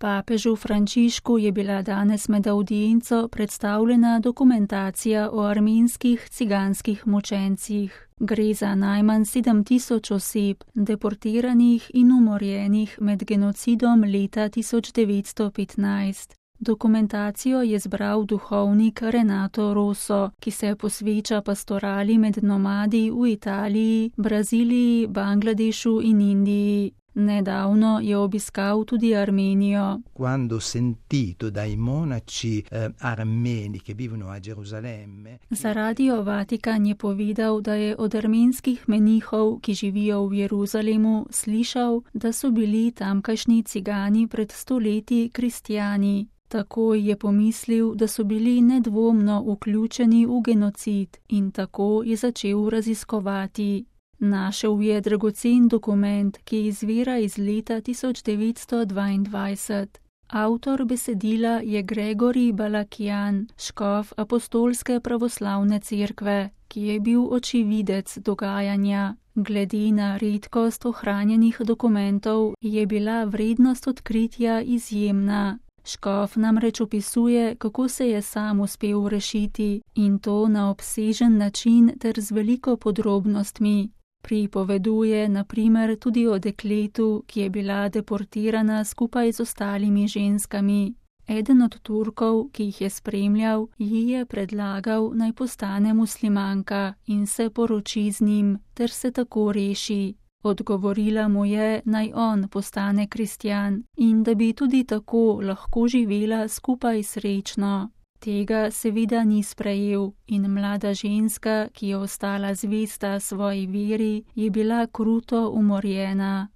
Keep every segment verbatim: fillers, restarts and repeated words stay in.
Papežu Frančišku je bila danes med avdienco predstavljena dokumentacija o armenskih ciganskih mučencih. Gre za najmanj sedem tisoč oseb, deportiranih in umorjenih med genocidom leta tisoč devetsto petnajst. Dokumentacijo je zbral duhovnik Renato Rosso, ki se posveča pastorali med nomadi v Italiji, Braziliji, Bangladešu in Indiji. Nedavno je obiskal tudi Armenijo. Quando sentito dai monaci eh, armeni che vivono a Gerusalemme. Za Radio Vatikan je povedal, da je od armenskih menihov, ki živijo v Jeruzalemu, slišal, da so bili tamkajšnji cigani pred stoletji kristjani. Takoj je pomislil, da so bili nedvomno vključeni v genocid in tako je začel raziskovati. Našel je dragocen dokument, ki izvira iz leta tisoč devetsto dvaindvajset. Avtor besedila je Gregorij Balakian, škof Apostolske pravoslavne cerkve, ki je bil očividec dogajanja. Glede na redkost ohranjenih dokumentov je bila vrednost odkritja izjemna. Škof namreč opisuje, kako se je sam uspel rešiti in to na obsežen način ter z veliko podrobnostmi. Pripoveduje na primer tudi o dekletu, ki je bila deportirana skupaj z ostalimi ženskami. Eden od Turkov, ki jih je spremljal, ji je predlagal, naj postane muslimanka in se poroči z njim, ter se tako reši. Odgovorila mu je, naj on postane kristjan in da bi tudi tako lahko živela skupaj srečno. Tega seveda ni sprejel in mlada ženska, ki je ostala zvesta svoji veri, je bila kruto umorjena.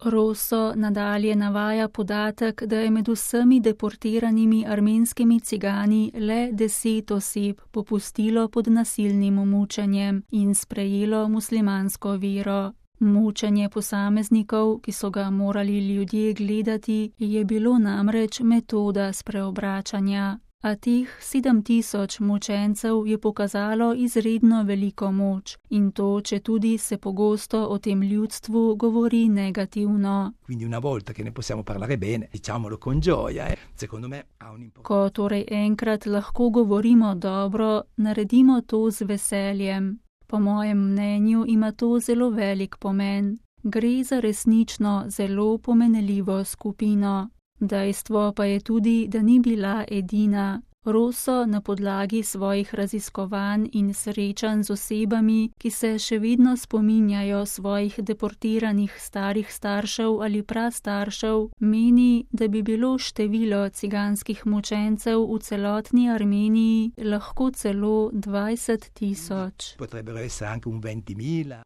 Rosso nadalje navaja podatek, da je med vsemi deportiranimi armenskimi cigani le deset oseb popustilo pod nasilnim mučenjem in sprejelo muslimansko vero. Mučenje posameznikov, ki so ga morali ljudje gledati, je bilo namreč metoda spreobračanja. A teh sedem tisoč mučencev je pokazalo izredno veliko moč in to, če tudi se pogosto o tem ljudstvu govori negativno. Ko torej enkrat lahko govorimo dobro, naredimo to z veseljem. Po mojem mnenju ima to zelo velik pomen. Gre za resnično zelo pomenljivo skupino. Dejstvo pa je tudi, da ni bila edina. Rosso na podlagi svojih raziskovanj in srečanj z osebami, ki se še vedno spominjajo svojih deportiranih starih staršev ali prastaršev, meni, da bi bilo število ciganskih mučencev v celotni Armeniji lahko celo dvajset tisoč.